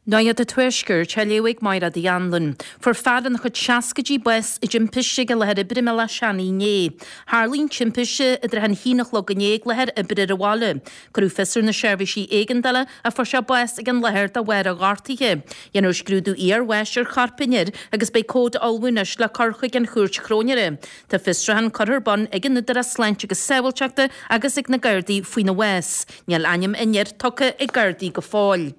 Nuacht an Tuaiscirt á léamh ag Máire Uí Anluain. Fuair fear ina chuid seascaidí bás i dtimpiste ag a láthair oibre i mBealach Seanaidh inné. Tharlaigh an timpiste i dtrátha an haon a chlog inné ag láthair oibre ar an bhaile. Cuireadh fios ar na seirbhísí éigeandála ach fuair sé bás ag an láthair de bharr a ghortaithe. Dhéanfar scrúdú iarbháis ar chorp an fhir agus beidh comhad á ullmhú anois le cur chuig an chúirt chróinéara. Tá fiosrúchán curtha ar bun ag an Údarás Sláinte agus Sábháilteachta agus ag na Gardaí faoina bhás. Níl ainm an fhir tugtha ag Gardaí go fóill.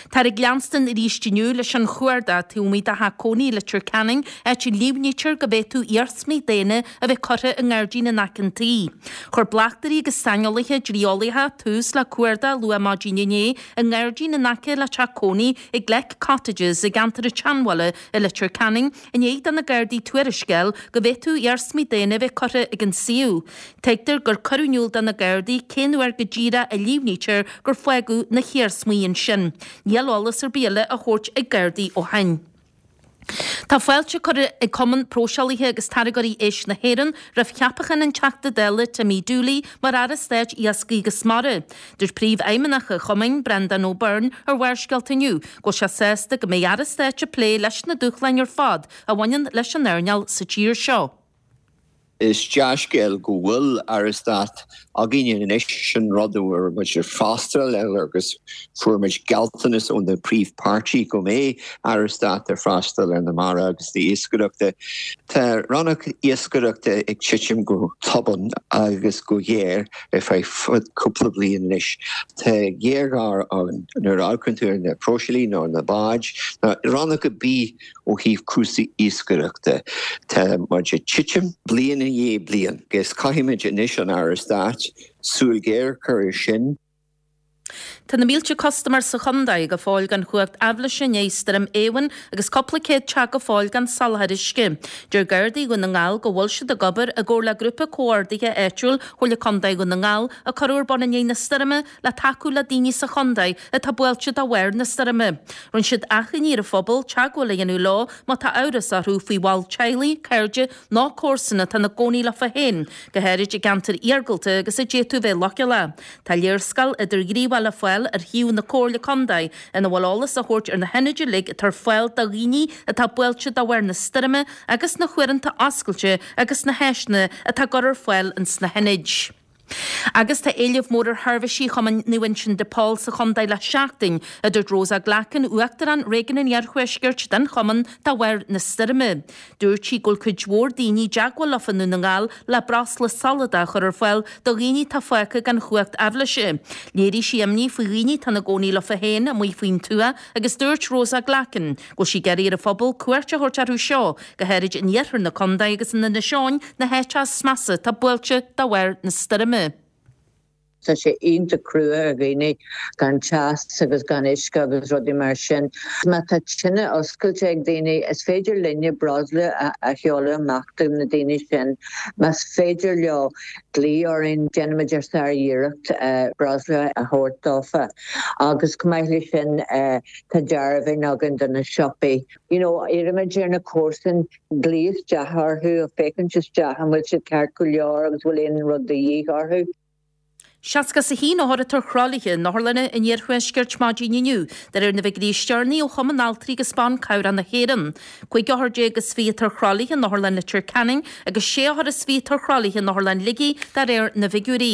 Táthar ag leanstan arís inniu leis an chuardach taobh amuigh de theach cónaí i Leitir Ceanainn, áit a líomhnaítear go bhféadfadh iarsmaí daonna a bheith curtha i ngairdín in aice an tí. Chuir bleachtairí agus saineolaithe dlí-eolaíocha tús le cuardach luath maidin inné i ngairdín in aice le teach cónaí i gCleck Cottages i gceantar an tSeanbhaile i Leitir Ceanainn i ndiaidh do na Gardaí tuairisc a fháil go bhféadfadh iarsmaí daonna a bheith curtha ag an suíomh. Tuigtear gur cuireadh in iúl do na Gardaí cén uair go díreach a líomhnaítear gur fágadh na hiarsmaí ansin. Níl eolas ar bith eile á thabhairt ag Gardaí ó shin. Tá fáilte curtha ag Cumann Próiseálaithe agus Táirgeoirí Éisc na hÉireann roimh cheapachán an Teachta Dála Timmy Dooley mar Aire Stáit Iascaigh agus Mara. Dúirt Príomhfheidhmeannach an Chumainn, Breandán Ó Beirn, ar Bharrscéalta inniu go bhfuil sé sásta go mbeidh Aire Stáit ag plé leis na dúshláin ar fad a bhaineann leis an earnáil sa tír seo. Is dea-scéal go bhfuil Aire Stáit againn anois, sin rud a raibh muid ag freastal air agus fuair muid gealltanas ó na príomhpháirtí go mbeidh Aire Stáit ag freastal ar na mara agus na iascaireachta. Tá rannóg iascaireachta ag titim go tobann agus go géar ar feadh cúpla bliain anois. Tá géarghá ann nuair a amharcann tú ar na próiseálaí nó na báid, nó rannóg ar bith ó thaobh cúrsaí iascaireachta. Tá muid ag titim bliain i ndiaidh bliain agus caithfimid anois an Aire Stáit súil ghéar a chur air sin. Tá na mílte custaiméir sa chontae go fóill gan chumhacht aibhléise i ndiaidh Stoirm Éowyn agus cúpla céad teach go fóill gan soláthar uisce. Deir Gardaí Dhún na nGall go bhfuil siad ag obair i gcomhar le Grúpa Comhordaithe Áitiúil Chomhairle Contae Dhún na nGall a cuireadh ar bun i ndiaidh na stoirme le tacú le daoine sa chontae atá buailte de bharr na stoirme. Rinne siad achainí ar an phobal teagmháil a dhéanamh leo má tá amhras orthu faoi bhall teaghlaigh, cairde nó comharsan atá ina gcónaí leofa féin, go háirid i gceantair iargúlta agus a d'fhéadfadh bheith leochaileach. Tá léarscáil idirghníomhach le fáil ar shuíomh na Comhairle Contae ina bhfuil eolas á thabhairt ar na hionaid uilig atá ar fáil do dhaoine atá buailte de bharr na stoirme agus na huaireanta oscailte agus na háiseanna atá á gcur ar fáil ins na hionaid. Agus tá éileamh mór ar sheirbhísí Chumann Naomh Uinseann de Pól sa chontae le seachtain, a dúirt Rosa Glackin, Uachtarán Réigiún an Iarthuaiscirt den chumann, de bharr na stoirme. Dúirt sí go bhfuil cuid mhór daoine i dteagmháil leofa i nDún na nGall le breosla soladach a chur ar fáil do dhaoine atá fágtha gan chumhacht aibhléise. Léirigh sí imní faoi dhaoine atá ina gcónaí leofa féin amuigh faoin tuath agus dúirt Rosa Glackin go bhfuil sí ag iarraidh ar an phobal cuairt a thabhairt orthu seo, go háirid in iarthar na contae agus in Inis Eoghain, na háiteacha is measa atá buailte de bharr na stoirme. Tá sé iontach crua ar dhaoine gan teas agus gan uisce agus rudaí mar sin. Má tá tine oscailte ag daoine, is féidir linne breosla a sheoladh amach do na daoine sin. Más féidir leo glaoch orainn, déanfaimid ár sár-iarracht breosla a thabhairt dófa. Agus chomh maith leis sin, tá dearbháin againn do na siopaí. You know, iarraimid ar na comharsain glaoch isteach orthu, féachaint isteach an bhfuil siad ceart go leor agus bhfuil aon rud de dhíth orthu. 61 othar atá ar thralaithe in otharlanna an iarthuaiscirt maidin inniu, de réir na bhfigiúirí is deireanaí ó Chumann Altraí agus Ban Cabhrach na hÉireann. 15 othar is 20 atá ar thralaithe in Otharlann Leitir Ceanainn agus 6 othar is 20 atá ar thralaithe in Otharlann Shligigh, de réir na bhfigiúirí.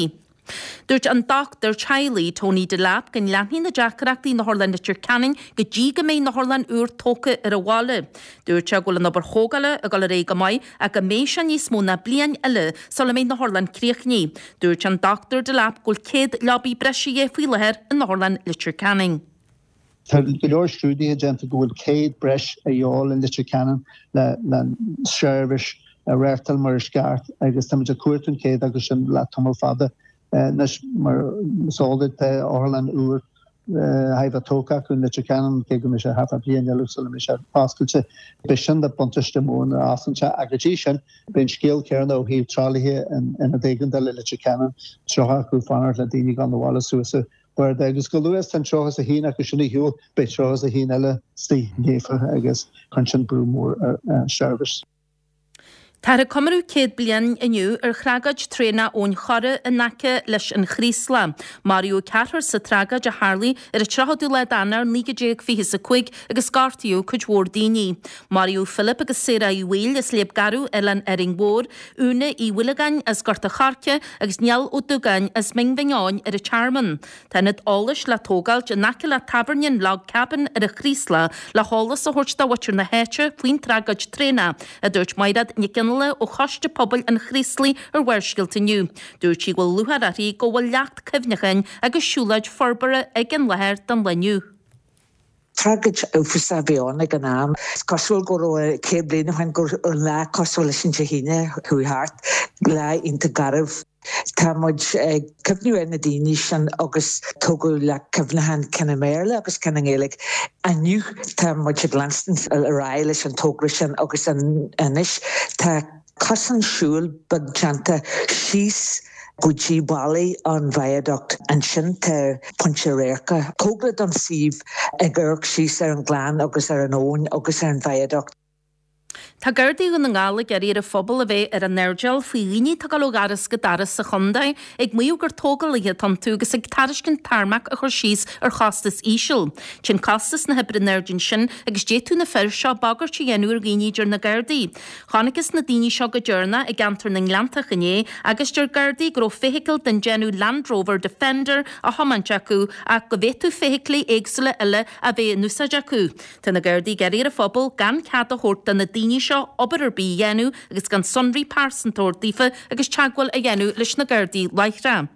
Dúirt an dochtúir teaghlaigh, Tony Delap, go leanfaidh na deacrachtaí in Otharlann Leitir Ceanainn go dtí go mbeidh an otharlann úr tógtha ar an bhaile. Dúirt sé go bhfuil an obair thógála ag dul ar aghaidh go maith ach go mbeidh sé níos mó ná bliain eile sula mbeidh an otharlann críochnaithe. Dúirt an Dr Delap go bhfuil 100 leabaí breise de dhíth faoi láthair in Otharlann Leitir Ceanainn. Tá go leor scrúduithe déanta go bhfuil 100 breis a dhíobháil in Leitir Ceanainn le seirbhís a reáchtáil mar is ceart agus táimid ag cuartú an 100 acu sin le tamall fada anois. Mar is eol duit tá otharlann úr thar a bheith tógtha acu in Leitir Ceanainn, cé go mbeidh sé thart fá bhliain eile sula mbeidh sé oscailte. Beidh sin de buntáiste mór nuair a osclaíonn sé ach go dtí sin beidh an scéal céanna ó thaobh tralaithe in ionad éigeandála i Leitir Ceanainn, 30 acu ag fanacht le daoine ag dul abhaile suas an barda agus chomh luath is tá an 31 acu sin ar shiúl beidh 31 eile istigh líofa agus cuireann sin brú mór ar an seirbhís. Táthar ag comóradh 100 bliain inniu ar thragóid traenach Abhainn Chorra in aice leis an Chraoslach. Maraíodh ceathrar sa tragóid a tharlaigh ar an 30ú lá d'Eanáir 1925 agus gortaíodh cuid mhór daoine. Maraíodh Philip agus Sarah Uí Bhaoill as Léab Garbh, Oileán Árainn Mhór, Úna Uí Mhuilleagáin as Gort a' Choirce agus Niall Ó Dúgáin as Mín Bhinn Eoin ar an Tearmann. Tá ionad eolais le tógáilt in aice le tábhairne an Log Cabin ar an Chraoslach le heolas a thabhairt do mhuintir na háite faoin tragóid traenach, a dúirt Maighread Nic Fhionnghaile ó Choiste Pobail an Chraoslaigh ar Bharrscéalta inniu. Dúirt sí go bhfuil lúcháir uirthi go bhfuil leacht cuimhneacháin agus siúlóid forbartha ag an láthair don lá inniu. Tragóid uafásach a bhí ann ag an am. Is cosúil go raibh 100 bliain ó shin go raibh an lá cosúil leis an Dé hAoine a chuaigh thart, lá iontach garbh. Tá muid ag cuimhniú ar na daoine sin agus tógadh leac cuimhneacháin, ceann i mBéarla agus ceann i nGaeilge. Inniu tá muid ag leanstan ar aghaidh leis an togra sin agus anois tá cosán siúil beag déanta síos go dtí ballaí an viaduct. Ansin tá pointe radhairc cóngarach don suíomh ag amharc síos ar an ngleann agus ar an abhainn agus ar an viaduct. Tá Gardaí Dhún na nGall ag iarraidh ar an phobal a bheith ar a n-airdeall faoi dhaoine atá ag dul ó dhoras go doras sa chontae ag maíomh gur tógálaithe atá iontu agus ag tairiscint tarmac a chur síos ar chostas íseal. Téann costas na hoibre in airde ansin agus d'fhéadfadh na fir seo bagairt a dhéanamh ar dhaoine a deir na Gardaí. Chonacthas na daoine seo go deireanach i gceantar na nGleanntach inné agus deir Gardaí go raibh feithicil den déanamh Land Rover Defender á thiomáint acu ach go bhféadfadh feithiclí éagsúla eile a bheith in úsáid acu. Tá na Gardaí ag iarraidh ar an phobal gan cead a thabhairt do na daoine seo obair ar bith a dhéanamh agus gan sonraí pearsanta a thabhairt daofa agus teagmháil a dhéanamh leis na Gardaí láithreach.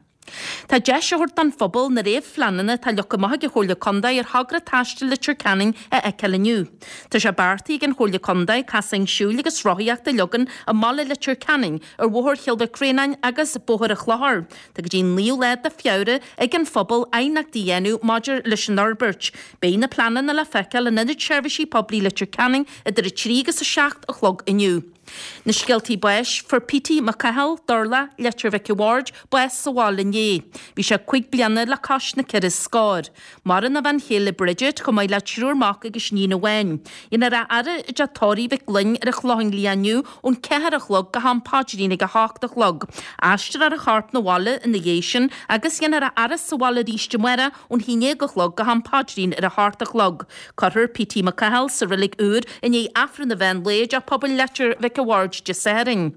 Tá deis á thabhairt don phobal na réamhphleananna atá leagtha amach ag an Chomhairle Contae ar thogra taistil Leitir Ceanainn a fheiceáil inniu. Tá sé beartaithe ag an Chomhairle Contae casáin siúil agus rothaíochta a leagan i mbaile Leitir Ceanainn ar Bhóthar Chill Mhic Réanáin agus Bóthar an Chlochair. Tá go dtí an 9ú lá de Feabhra ag an phobal aighneachtaí a dhéanamh maidir leis an fhorbairt. Beidh na pleananna le feiceáil in Ionad Seirbhísí Poiblí Leitir Ceanainn idir 3 agus 7 a chlog inniu. Na scéaltaí báis, Fuair Petey Mac Cathal, Durla, Leitir Mhic a' Bhaird, bás sa bhaile inné. Bhí sé 5 bliana le cois na ceithre scór. Maireann a bhean chéile Bridget, chomh maith le triúr mac agus iníon amháin. Dhéanfar a fhaire i dteach tórraimh Mhic Gloinn ar an Chlochán Liath inniu ón 4 a chlog go ham paidrín ag 8 a chlog. Aistreofar a chorp 'na bhaile ina dhiaidh sin agus dhéanfar a fhaire sa bhaile arís amárach ón 11 a chlog go ham paidrín ar 8 a chlog. Cuirfear Petey Mac Cathal sa reilig úr i ndiaidh Aifreann an mheán lae i dTeach Pobail Leitir Mhic a' Bhaird Dé Sathairn.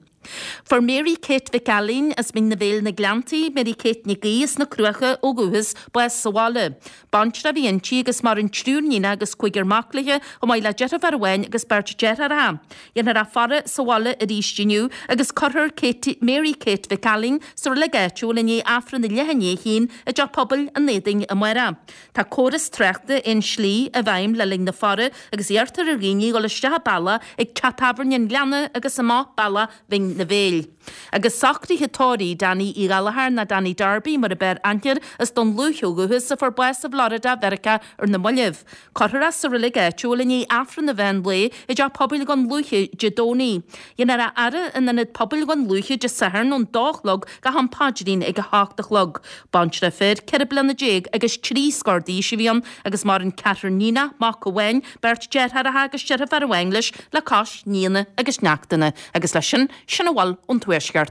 Fuair Mary Kate Mhic Ailín as Mín na Bhéil na Gleanntaí, Mary Kate Nic Aoidh as na Cruacha ó dhúchas, bás sa bhaile. Baintreach a bhí inti agus maireann triúr níonacha agus cúigear mac léi, chomh maith le deirfiúr amháin agus beirt deartháireacha. Dhéanfar a faire sa bhaile arís inniu agus cuirfear Katie, Mary Kate Mhic Ailín sa reilig áitiúil i ndiaidh Aifreann a leath i ndiaidh a haon i dTeach Pobail an Éadain amárach. Tá córas tráchta aon slí i bhfeidhm le linn na faire agus iarrtar ar dhaoine dhul isteach an bealach ag Teach Tábhairne an Ghleanna agus amach bealach Bhinn na Bhéil. Agus socruithe tórraimh Danny Uí Ghallchóir nó Danny Darby mar a b'fhearr aithne air as Dún Lúiche ó dhúchas a fuair bás i bhFlorida Mheiriceá ar na mallaibh. Cuirfear é sa reilig áitiúil i ndiaidh Aifreann an mheán lae i dTeach Pobail Dhún Lúiche Dé Domhnaigh. Dhéanfar a fhaire in Ionad Pobail Dhún Lúiche Dé Sathairn ón dó a chlog go ham paidrín ag 8 a chlog. Baintreach fir, 14 bliana agus 3 scór d'aois a bhí ann agus maireann ceathrar níonach, mac amháin, beirt deartháireacha agus deirfiúr amháin leis le cois nianna agus neachtanna. Agus leis sin, sin a bhfuil ón Tuaisceart.